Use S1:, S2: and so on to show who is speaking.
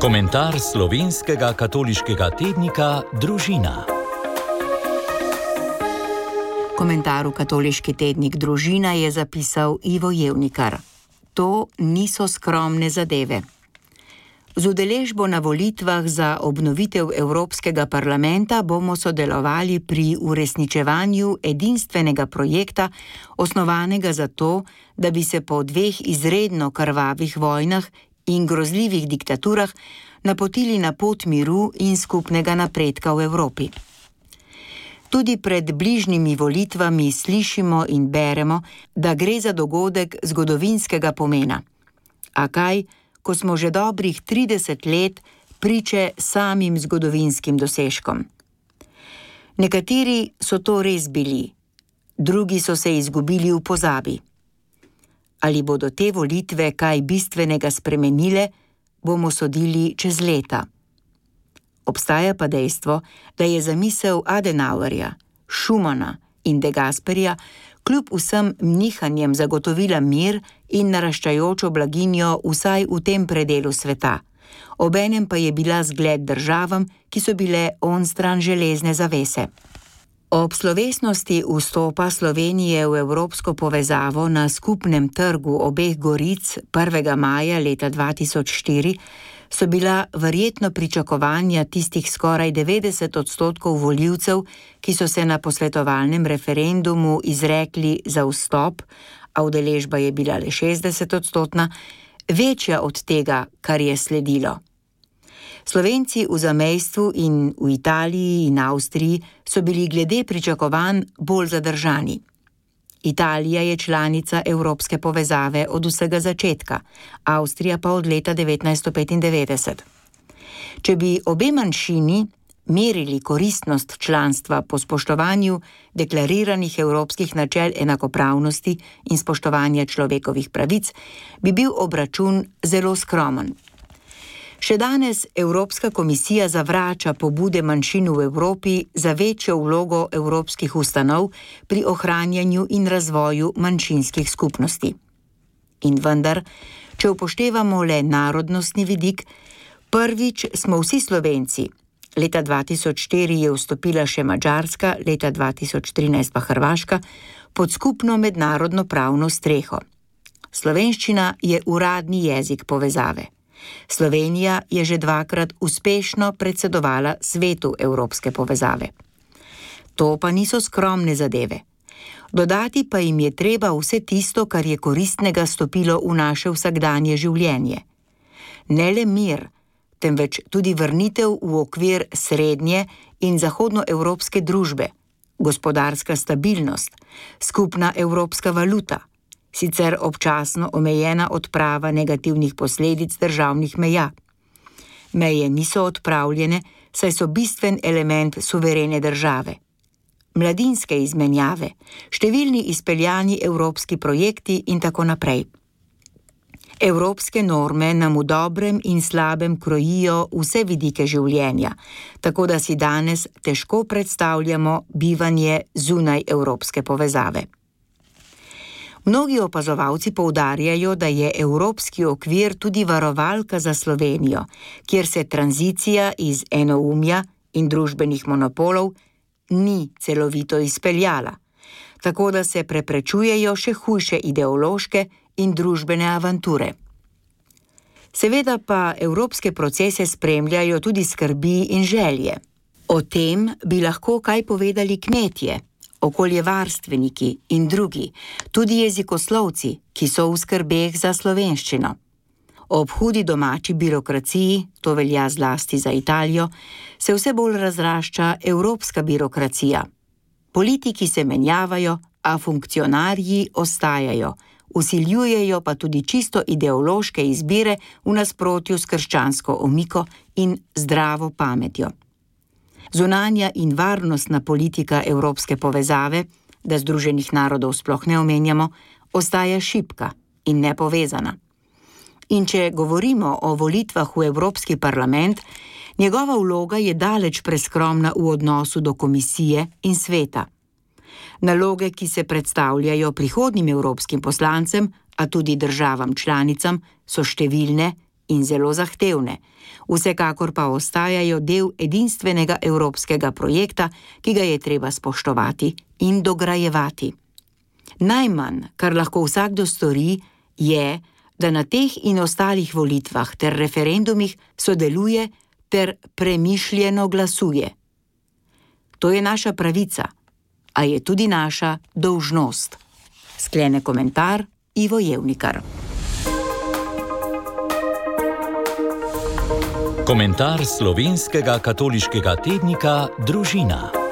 S1: Komentar slovenskega katoliškega tednika Družina.
S2: Komentar v katoliški tednik Družina je zapisal Ivo Jevnikar. To niso skromne zadeve. Z udeležbo na volitvah za obnovitev Evropskega parlamenta bomo sodelovali pri uresničevanju edinstvenega projekta, osnovanega za to, da bi se po 2 izredno krvavih vojnah in grozljivih diktaturah napotili na pot miru in skupnega napredka v Evropi. Tudi pred bližnjimi volitvami slišimo in beremo, da gre za dogodek zgodovinskega pomena. A kaj, ko smo že dobrih 30 let priče samim zgodovinskim dosežkom? Nekateri so to res bili, drugi so se izgubili v pozabi. Ali bodo te volitve kaj bistvenega spremenile, bomo sodili čez leta. Obstaja pa dejstvo, da je zamisel Adenauerja, Schumana in De Gasperija kljub vsem nihanjem zagotovila mir in naraščajočo blaginjo vsaj v tem predelu sveta. Obenem pa je bila zgled državam, ki so bile onstran železne zavese. Ob slovesnosti vstopa Slovenije v evropsko povezavo na skupnem trgu obeh goric 1. maja leta 2004 so bila verjetno pričakovanja tistih skoraj 90% volivcev, ki so se na posvetovalnem referendumu izrekli za vstop, a udeležba je bila le 60%, večja od tega, kar je sledilo. Slovenci v zamejstvu in v Italiji in Avstriji so bili glede pričakovanj bolj zadržani. Italija je članica Evropske povezave od vsega začetka, Avstrija pa od leta 1995. Če bi obe manjšini merili koristnost članstva po spoštovanju deklariranih evropskih načel enakopravnosti in spoštovanja človekovih pravic, bi bil obračun zelo skromen. Še danes Evropska komisija zavrača pobude manjšin v Evropi za večjo vlogo evropskih ustanov pri ohranjanju in razvoju manjšinskih skupnosti. In vendar, če upoštevamo le narodnostni vidik, prvič smo vsi Slovenci, leta 2004 je vstopila še Madžarska, leta 2013 pa Hrvaška, pod skupno mednarodno pravno streho. Slovenščina je uradni jezik povezave. Slovenija je že 2-krat uspešno predsedovala svetu evropske povezave. To pa niso skromne zadeve. Dodati pa jim je treba vse tisto, kar je koristnega stopilo v naše vsakdanje življenje. Ne le mir, temveč tudi vrnitev v okvir srednje in zahodnoevropske družbe, gospodarska stabilnost, skupna evropska valuta, sicer občasno omejena odprava negativnih posledic državnih meja. Meje niso odpravljene, saj so bistven element suverene države. Mladinske izmenjave, številni izpeljani evropski projekti in tako naprej. Evropske norme nam v dobrem in slabem krojijo vse vidike življenja, tako da si danes težko predstavljamo bivanje zunaj evropske povezave. Mnogi opazovalci poudarjajo, da je evropski okvir tudi varovalka za Slovenijo, kjer se tranzicija iz enoumja in družbenih monopolov ni celovito izpeljala, tako da se preprečujejo še hujše ideološke in družbene avanture. Seveda pa evropske procese spremljajo tudi skrbi in želje. O tem bi lahko kaj povedali kmetje, okoljevarstveniki in drugi, tudi jezikoslovci, ki so v skrbeh za slovenščino. Ob hudi domači birokraciji, to velja zlasti za Italijo, se vse bolj razrašča evropska birokracija. Politiki se menjavajo, a funkcionarji ostajajo, vsiljujejo pa tudi čisto ideološke izbire v nasprotju s krščansko omiko in zdravo pametjo. Zunanja in varnostna politika evropske povezave, da Združenih narodov sploh ne omenjamo, ostaja šibka in nepovezana. In če govorimo o volitvah v Evropski parlament, njegova vloga je daleč preskromna v odnosu do komisije in sveta. Naloge, ki se predstavljajo prihodnjim evropskim poslancem, a tudi državam članicam, so številne in zelo zahtevne, vsekakor pa ostajajo del edinstvenega evropskega projekta, ki ga je treba spoštovati in dograjevati. Najmanj, kar lahko vsakdo stori, je, da na teh in ostalih volitvah ter referendumih sodeluje ter premišljeno glasuje. To je naša pravica, a je tudi naša dolžnost. Sklene komentar Ivo Jevnikar.
S1: Komentar slovenskega katoliškega tednika Družina.